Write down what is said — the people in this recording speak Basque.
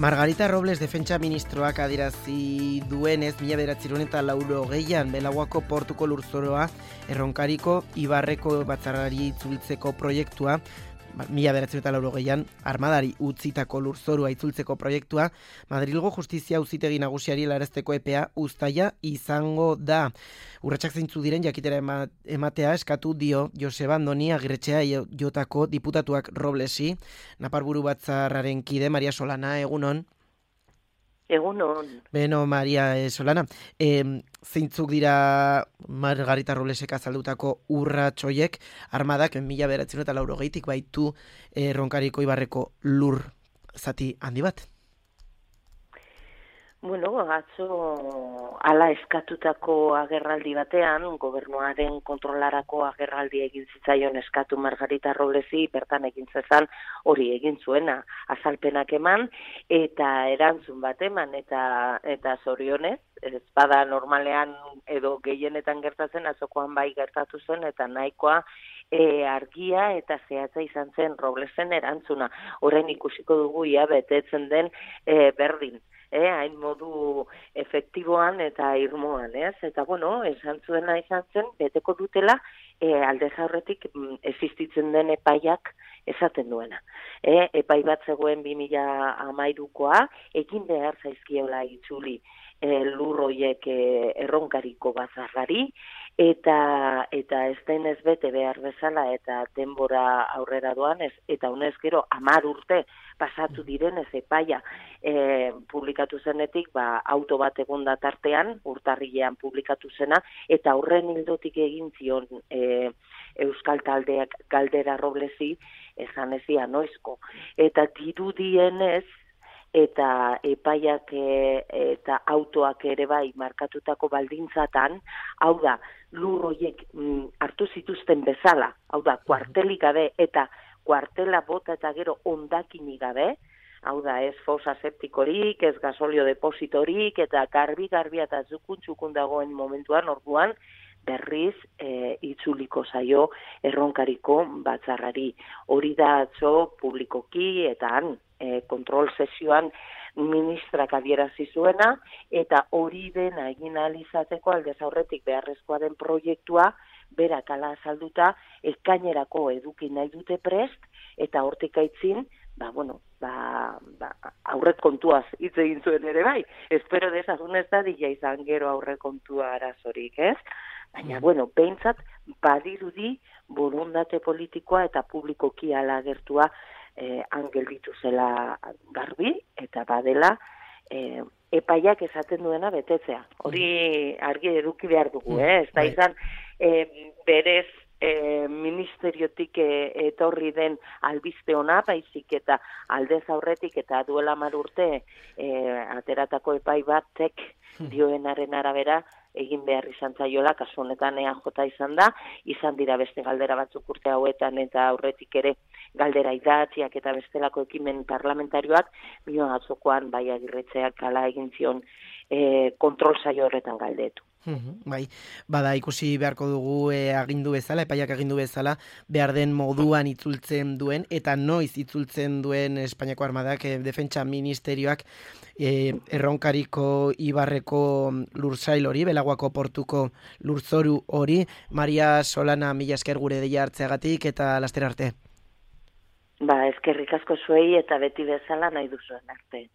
Margarita Robles defentsa ministroak adierazi duenez 1980an Belaguako portuko lurzoroa Erronkariko Ibarreko batzarrari itzultzeko proiektua, 1980an armadari utzitako lurzorua itzultzeko proiektua, Madrilgo Justizia Auzitegi Nagusiari helarazteko epea uztaila izango da. Urratsak zeintzu diren jakitera ematea eskatu dio Joseba Andoni Agirretxea jotako diputatuak Roblesi. Naparburu batzarraren kide Maria Solana, egunon. Egunon. Beno, Maria Solana, zeintzuk dira Margarita Roblesek azaldutako urrats horiek? Armadak 1980tik baitu Erronkariko Ibarreko lur zati handi bat? Bueno, atzo ala eskatutako agerraldi batean, gobernuaren kontrolarako agerraldi egin zitzaion eskatu Margarita Roblesi, bertan egin zezan hori egin zuena, azalpenak eman, eta erantzun bat eman, eta zorionez, ez bada normalean edo gehienetan gertatzen, atzokoan bai gertatu zen, eta nahikoa argia eta zehatza izan zen Roblesen erantzuna. Orain ikusiko dugu ia betetzen den berdin. Hain modu efektiboan eta irmoan, ez? Eta, bueno, esan zuena izan zen, beteko dutela, aldez aurretik existitzen den epaiak esaten duena. Epai bat zegoen 2013koa, egin behar zaizkiola itzuli lur horiek Erronkariko batzarrari, eta ez denez bete behar bezala eta denbora aurrera doan, eta honez gero 10 urte pasatu direnez epaia publikatu zenetik, auto bat egon da tartean, urtarrilean publikatu zena, eta horren hildotik egin zion Euskal Taldeak galdera Roblesi, esan ezia noizko. Eta dirudienez, eta epaiak eta autoak ere bai markatutako baldintzatan, hau da, lur horiek hartu zituzten bezala, hau da, kuartelik gabe eta kuartela bota eta gero hondakinik gabe, hau da, ez fosa septikorik, ez gasolio depositorik, eta garbi eta txukun dagoen momentuan, orduan, berriz itzuliko zaio Erronkariko batzarrari. Hori da atzo publikoki eta han kontrol sesioan ministrak adierazi zuena, eta hori dena egin ahal izateko aldez aurretik beharrezkoa den proiektua berak ala azalduta ekainerako eduki nahi dute prest, eta hortik aitzin, aurret kontuaz hitz egin zuen ere bai. Espero dezagun ez da dila izan gero aurre kontua arazorik, ez? Baina, behintzat badirudi borondate politikoa eta publikoki ala agertua gelditu zela garbi, eta badela epaiak esaten duena betetzea. Hori argi eduki behar dugu, ez da izan berez ministeriotik etorri den albiste ona, baizik eta aldez aurretik eta duela 10 urte ateratako epai batek dioenaren arabera egin behar izan zaiola, kasu honetan EAJ izan dira beste galdera batzuk urte hauetan eta aurretik ere galdera idatziak eta bestelako ekimen parlamentarioak, bion atzokoan bai Agirretxeak ala egin zion kontrol saio horretan galdetu. Bai, bada ikusi beharko dugu agindu bezala, epaiak agindu bezala, behar den moduan itzultzen duen, eta noiz itzultzen duen Espainiako Armadak defentsa ministerioak Erronkariko Ibarreko lursail hori, Belaguako portuko lurzoru hori. Maria Solana, mila esker gure deia hartzeagatik eta laster arte. Eskerrik asko zuei eta beti bezala nahi duzuen arte.